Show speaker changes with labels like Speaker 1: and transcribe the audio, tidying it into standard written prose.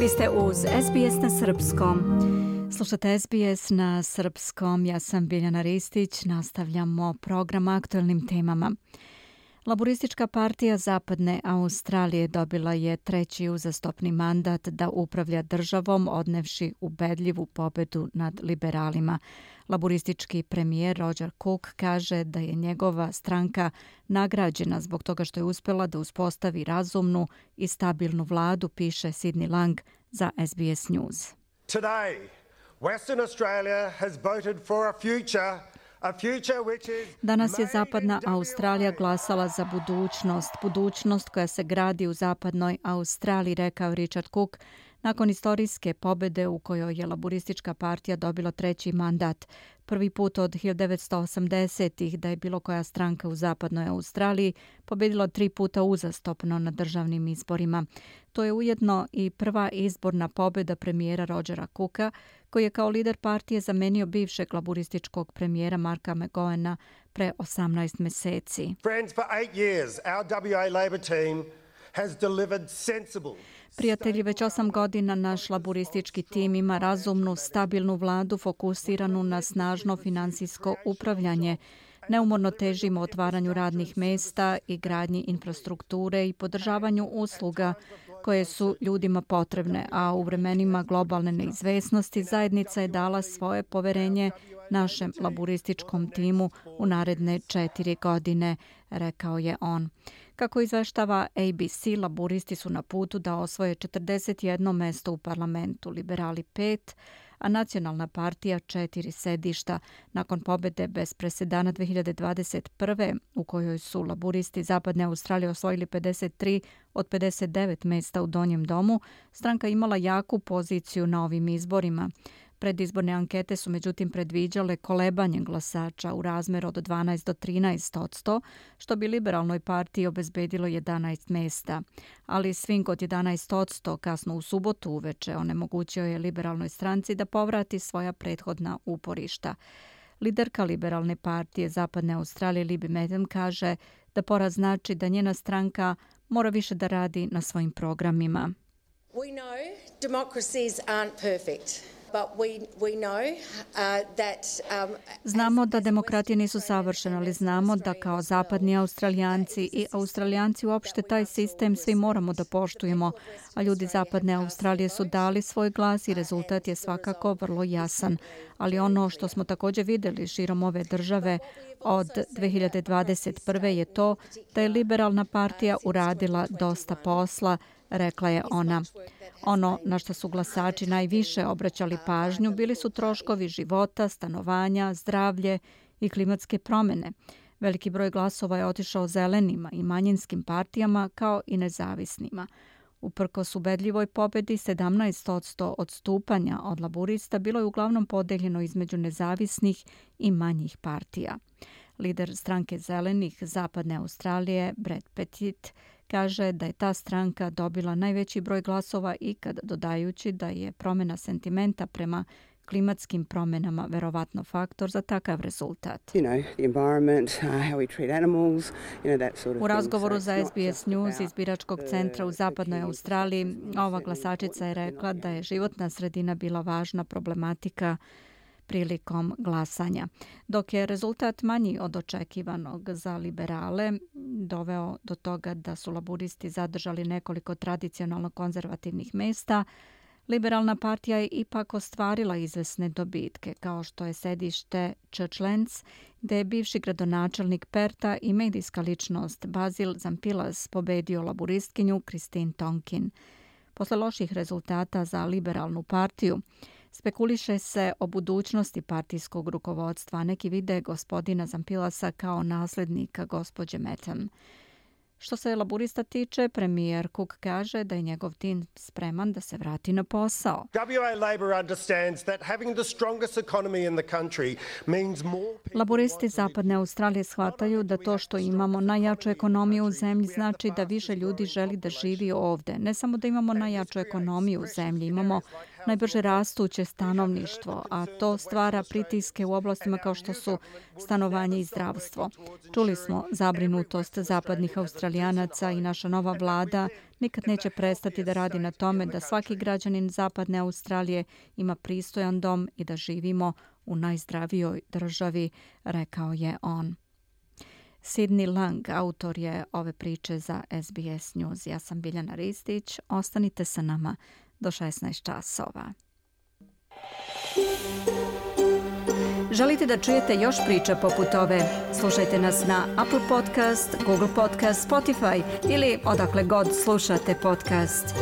Speaker 1: Vi ste uz SBS na srpskom. Slušate SBS na srpskom, ja sam Biljana Ristić, nastavljamo program aktualnim temama. Laboristička partija Zapadne Australije dobila je treći uzastopni mandat da upravlja državom, odnevši ubedljivu pobedu nad liberalima. Laboristički premijer Roger Cook kaže da je njegova stranka nagrađena zbog toga što je uspjela da uspostavi razumnu i stabilnu vladu, piše Sidney Lang za SBS News.
Speaker 2: Today, Western Australia has voted for a future.
Speaker 1: Danas je Zapadna Australija glasala za budućnost koja se gradi u Zapadnoj Australiji, rekao Richard Cook, nakon istorijske pobjede u kojoj je Laboristička partija dobila treći mandat. Prvi put od 1980-ih da je bilo koja stranka u Zapadnoj Australiji pobjedila 3 puta uzastopno na državnim izborima. To je ujedno i prva izborna pobjeda premijera Rogera Cooka, koji je kao lider partije zamenio bivšeg laborističkog premijera Marka McGowana pre 18 meseci.
Speaker 2: Friends, for 8 years, our WA Labor team has delivered sensible.
Speaker 1: Prijatelji, već 8 godina naš laboristički tim ima razumnu, stabilnu vladu fokusiranu na snažno finansijsko upravljanje. Neumorno težimo otvaranju radnih mesta i gradnji infrastrukture i podržavanju usluga koje su ljudima potrebne, a u vremenima globalne neizvesnosti zajednica je dala svoje poverenje našem laborističkom timu u naredne 4 godine, rekao je on. Kako izveštava ABC, laboristi su na putu da osvoje 41 mesto u parlamentu, liberali 5, a Nacionalna partija 4 sedišta nakon pobjede bez presedana 2021. u kojoj su laboristi Zapadne Australije osvojili 53 od 59 mesta u Donjem domu. Stranka imala jaku poziciju na ovim izborima. Predizborne ankete su međutim predviđale kolebanje glasača u razmeru od 12 do 13%, što bi liberalnoj partiji obezbedilo 11 mesta. Ali swing od 11% kasno u subotu uveče onemogućio je liberalnoj stranci da povrati svoja prethodna uporišta. Liderka liberalne partije Zapadne Australije Libby Madden kaže da poraz znači da njena stranka mora više da radi na svojim programima.
Speaker 3: We know democracies aren't perfect.
Speaker 1: Znamo da demokratije nisu savršene, ali znamo da kao zapadni Australijanci i Australijanci uopšte taj sistem svi moramo da poštujemo, a ljudi Zapadne Australije su dali svoj glas i rezultat je svakako vrlo jasan. Ali ono što smo također vidjeli širom ove države od 2021. je to da je liberalna partija uradila dosta posla, rekla je ona. Ono na što su glasači najviše obraćali pažnju bili su troškovi života, stanovanja, zdravlje i klimatske promjene. Veliki broj glasova je otišao zelenima i manjinskim partijama kao i nezavisnima. Uprkos ubedljivoj pobjedi, 17% odstupanja od laborista bilo je uglavnom podeljeno između nezavisnih i manjih partija. Lider stranke zelenih Zapadne Australije, Brad Pettit, kaže da je ta stranka dobila najveći broj glasova ikad, dodajući da je promjena sentimenta prema klimatskim promjenama verovatno faktor za takav rezultat. U razgovoru za SBS News iz biračkog centra u Zapadnoj Australiji, ova glasačica je rekla da je životna sredina bila važna problematika prilikom glasanja. Dok je rezultat manji od očekivanog za liberale doveo do toga da su laboristi zadržali nekoliko tradicionalno konzervativnih mesta, liberalna partija je ipak ostvarila izvesne dobitke, kao što je sedište Churchlands, gde je bivši gradonačelnik Perta i medijska ličnost Basil Zampilas pobedio laboristkinju Christine Tonkin. Posle loših rezultata za liberalnu partiju, spekuliše se o budućnosti partijskog rukovodstva. Neki vide gospodina Zampilasa kao naslednika gospođe Madden. Što se laborista tiče, premijer Cook kaže da je njegov tim spreman da se vrati na posao. Laboristi Zapadne Australije shvataju da to što imamo najjaču ekonomiju u zemlji znači da više ljudi želi da živi ovde. Ne samo da imamo najjaču ekonomiju u zemlji, imamo najbrže rastuće stanovništvo, a to stvara pritiske u oblastima kao što su stanovanje i zdravstvo. Čuli smo zabrinutost zapadnih Australijanaca i naša nova vlada nikad neće prestati da radi na tome da svaki građanin zapadne Australije ima pristojan dom i da živimo u najzdravijoj državi, rekao je on. Sidney Lang, autor je ove priče za SBS News. Ja sam Biljana Ristić. Ostanite sa nama do 16 časova. Želite da čujete još priča poput ove? Slušajte nas na Apple Podcast, Google Podcast, Spotify ili odakle god slušate podcast.